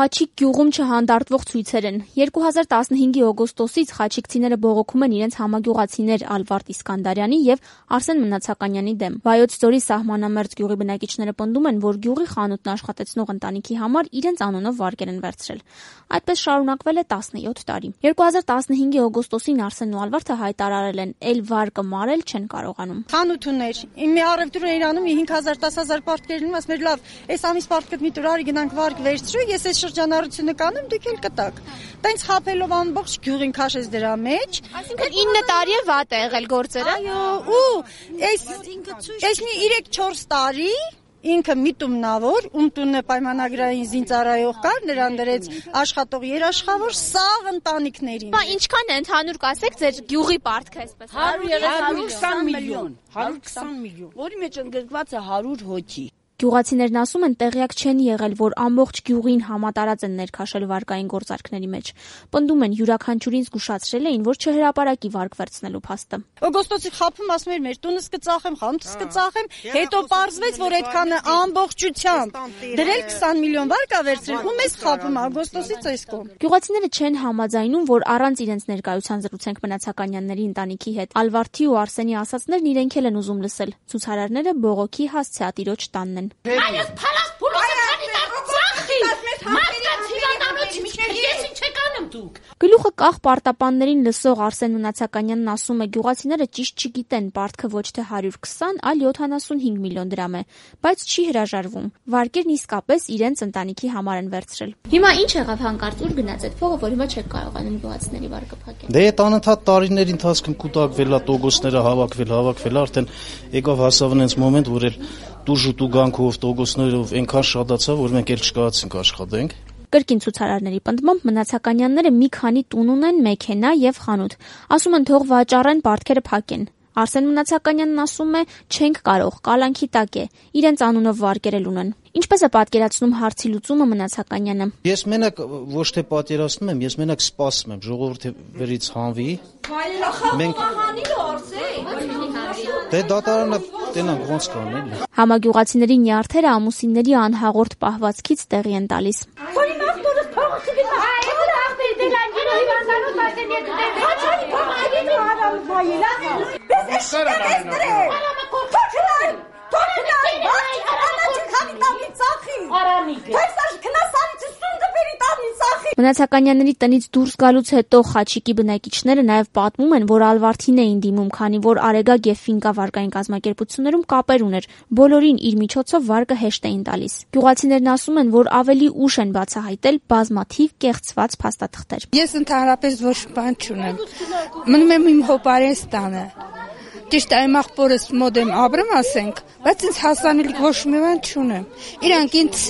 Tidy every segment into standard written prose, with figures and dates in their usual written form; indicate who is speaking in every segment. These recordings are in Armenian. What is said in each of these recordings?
Speaker 1: Խաչիկ գյուղում չհանդարտվող ցույցեր են։ 2015-ի օգոստոսից խաչիկցիները բողոքում են իրենց համագյուղացիներ Ալվարդ Իսկանդարյանի եւ Արսեն Մնացականյանի դեմ։ Վայոց ձորի սահմանամերձ գյուղի բնակիչները պնդում են, որ գյուղի խանութն աշխատեցնող ընտանիքի համար իրենց անունով վարկեր են վերցրել։ Այդպես շարունակվել է 17 տարի։ 2015-ի օգոստոսին Արսենն ու Ալվարդը հայտարարել են, «Էլ վարկը մարել չեն կարողանում»։
Speaker 2: Խանութ ուներ։ Իմ առևտուր էր անում 5000-10000 պարտքեր լինում, ասում էր լավ, այս ամիս պարտքդ մի տուրարի գնանք վարկ վերցրու, ես այս շրջանառությունը կանեմ, դուք էլ կտակ։ Տենց խափելով ամբողջ գյուղին քաշեց դրա մեջ։
Speaker 1: Այսինքն 9 տարի է վատ է եղել գործերը։
Speaker 2: Այո, ու այս մի 3-4 տարի ինքը միտումնավոր, տունը պայմանագրային զինծառայող կար, նրան դրեց աշխատող երաշխավոր սաղ ընտանիքներին։
Speaker 1: Բա ինչքան է ընդհանուր կասեք ձեր գյուղի պարտքը այսպես։
Speaker 3: 120 միլիոն, 120 միլիոն, որի մեջ ընդգրկված է 100 հոգի։
Speaker 1: Գյուղացիներն ասում են, տեղյակ չեն եղել, որ ամբողջ գյուղին համատարած են ներքաշել վարկային գործարքների մեջ։ Պնդում են, յուրաքանչյուրին զգուշացրել էին, որ չհրապարակի վարկ վերցնելու փաստը։
Speaker 2: Օգոստոսի խափում ասում էր, մեր տունս կծախեմ, խանութս կծախեմ, հետո պարզվեց, որ այդքանը ամբողջությամբ դրել 20 միլիոն վարկ ա վերցրել, ու մեզ խափում օգոստոսից այս կողմ։
Speaker 1: Գյուղացիները չեն համաձայնում, որ առանց իրենց ներկայության զրուցենք Մնացականյանների ընտանիքի հետ։ Ալվարդի ու Արսենի ասածներն իրենք էլ են ուզում լսել։ Ցուցարարները բողոքի հասցեատիրոջ տանն են։
Speaker 4: Այս փալաս փուլոսը քանի ծախի։ Մարդկանց հիվանդանոցի միջներ ես ինչ եք անում դուք։
Speaker 1: Գլուխը կախ պարտապաններին լսող Արսեն Մնացականյանն ասում է, գյուղացիները ճիշտ չգիտեն, պարտքը ոչ թե 120, այլ 75 միլիոն դրամ է, բայց չի հրաժարվում։ Վարկերն իսկապես իրենց ընտանիքի համար են վերցրել։ Հիմա ինչ եղավ հանկարծ, ուր գնաց այդ փողը, որ հիմա չեք կարողանում գյուղացիների վարկը փակել։
Speaker 5: Դե այդ անընդհատ տարիների ընթացքում կուտակվել է, տոգոսները հավաքվել, արդեն եկավ հասավ այնց մոմենտ, որ էլ տուժուտու գանքով, տոգոսներով այնքան շատացավ, որ մենք էլ չկարողացինք աշխատենք։
Speaker 1: Կրկին ցուցարարների պնդմամբ Մնացականյանները մի քանի տուն ունեն, մեքենա եւ խանութ։ Ասում են թող վաճառեն, պարտքերը փակեն։ Արսեն Մնացականյանն ասում է, չենք կարող, կալանքի տակ է, իրենց անունով վարկերել ունեն։ Ինչպես է պատկերացնում հարցի լուծումը Մնացականյանը։
Speaker 5: Ես մենակ ոչ թե պատկերացնում եմ, ես մենակ սպասում եմ ժողովրդի վերից հանվի։ Մենք դե դատարանը տենանք ոնց կանեն։
Speaker 1: Համագյուղացիների նյարդերը ամուսինների անհաղորդ պահվածքից տեղի են տալիս։ Մնացականյանների տնից դուրս գալուց հետո Խաչիկի բնակիչները նաև պատմում են, որ Ալվարդին էին դիմում, քանի որ Արեգակ եւ Ֆինկա վարկային կազմակերպություններում կապեր ուներ, բոլորին իր միջոցով վարկը հեշտ էին տալիս։ Գյուղացիներն ասում են, որ ավելի ուշ են բացահայտել բազմաթիվ կեղծված փաստաթղթեր։
Speaker 6: Ես ընդհանրապես ոչ բան չունեմ։ Մնում եմ իմ հոպարեստանը։ Ճիշտ այ աղբորս մոտ եմ ապրում, ասենք, բայց ինձ հասանելիք ոչ մի բան չունեմ։ Իրանք ինձ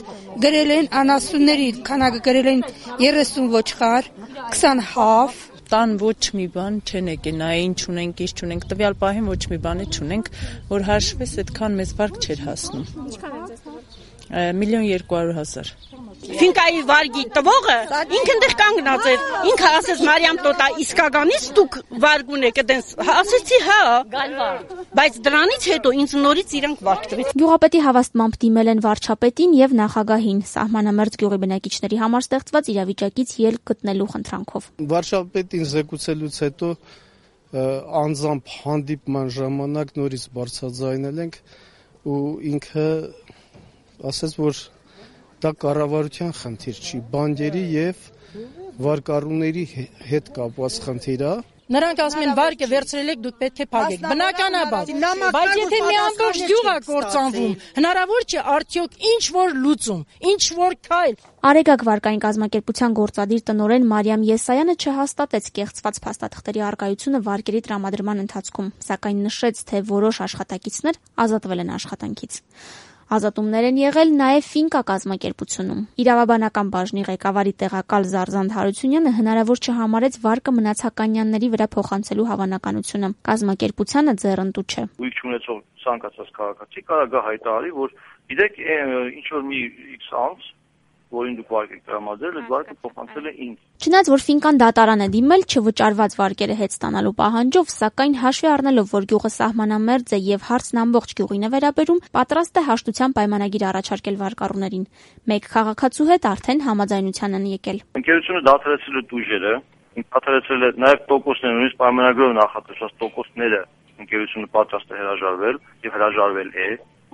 Speaker 6: գրել են անասունների քանակը գրել են 30 ոչխար, 20 հավ,
Speaker 7: տան ոչ մի բան չեն եկել, նայ ինչ ունենք, ինչ չունենք, տվյալ պահին ոչ մի բան չունենք, որ հաշվես այդքան մեզ վարկ չէր հասնում։
Speaker 1: Ինչքան է ձեզ համար։
Speaker 7: 1,200,000։
Speaker 3: Ֆինկայի վարգի տվողը ինքը այնտեղ կանգնած էր, ինքը ասեց Մարիամ տոտա իսկականից դուք վարգ ունեք այդպես, ասեցի հա, բայց դրանից հետո ինձ նորից իրանք վարգ տվեց։
Speaker 1: Գյուղապետի հավաստմամբ դիմել են վարչապետին եւ նախագահին, սահմանամերձ գյուղի բնակիչների համար ստեղծված իրավիճակից ելք գտնելու խնդրանքով։
Speaker 8: Վարչապետին զեկուցելուց հետո անձամբ հանդիպման ժամանակ նորից բարձրաձայնել ենք ու ինքը ասեց, որ դա կառավարության խնդիր չի, բանկերի եւ վարկառուների հետ կապված խնդիր է։
Speaker 9: Նրանք ասում են վարկը վերցրել եք, դուք պետք է փակեք։ Բնականաբար, բայց եթե մի ամբողջ գյուղ է կործանվում, հնարավոր չէ արդյոք ինչ որ լուծում, ինչ որ քայլ։
Speaker 1: Արեգակ վարկային կազմակերպության գործադիր տնօրեն Մարիամ Եսայանը չհաստատեց կեղծված փաստաթղթերի առկայությունը վարկերի տրամադրման ընթացքում, սակայն նշեց, թե որոշ աշխատակիցներ ազատվել են աշխատանքից։ Ազատումներ են եղել նաև Ֆինկա կազմակերպությունում։ Իրավաբանական բաժնի ղեկավարի տեղակալ Զարզանդ Հարությունյանը հնարավոր չհամարեց վարկը Մնացականյանների վրա փոխանցելու հավանականությունը։ Կազմակերպությանը ձեռնտու չէ։
Speaker 10: Ույք չունեցող ցանկացած քաղաքացի կարող է հայտարարի, որ գիտեք, ինչ որ մի X անց որին դուք վարկ եք տրամադրել, այդ վարկը փոխանցել է ինձ։
Speaker 1: Չնայած որ Ֆինկան դատարան է դիմել չվճարված վարկերը հետ ստանալու պահանջով, սակայն հաշվի առնելով, որ գյուղը սահմանամերձ է եւ հարցն ամբողջ գյուղին է վերաբերում, պատրաստ է հաշտության պայմանագիր առաջարկել վարկառուներին։ Մեկ քաղաքացու հետ արդեն համաձայնության են եկել։
Speaker 10: Ընկերությունը դադարեցրել է տուժերը, դադարեցրել է նաեւ տոկոսները, նույնիսկ պայմանագրով նախատեսված տոկոսները ընկերությունը պատրաստ է հրաժարվել եւ հրաժարվել է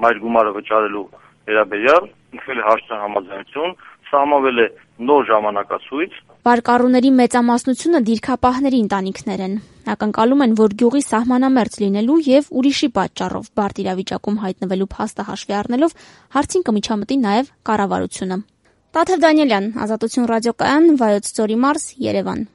Speaker 10: մայր գումարը վճարելու վերաբերյալ, ինքնել է հաշտության համաձայնություն, սահմանվել է նոր ժամանակացույց։
Speaker 1: Վարկառուների մեծամասնությունը դիրքապահների ընտանիքներ են։ Ակնկալում են, որ գյուղի սահմանամերձ լինելու եւ ուրիշի պատճառով բարդ իրավիճակում հայտնվելու փաստը հաշվի առնելով հարցին կմիջամտի նաեւ կառավարությունը։ Տաթև Դանիելյան, Ազատություն ռադիոկայան, Վայոց ձորի մարզ, Երևան։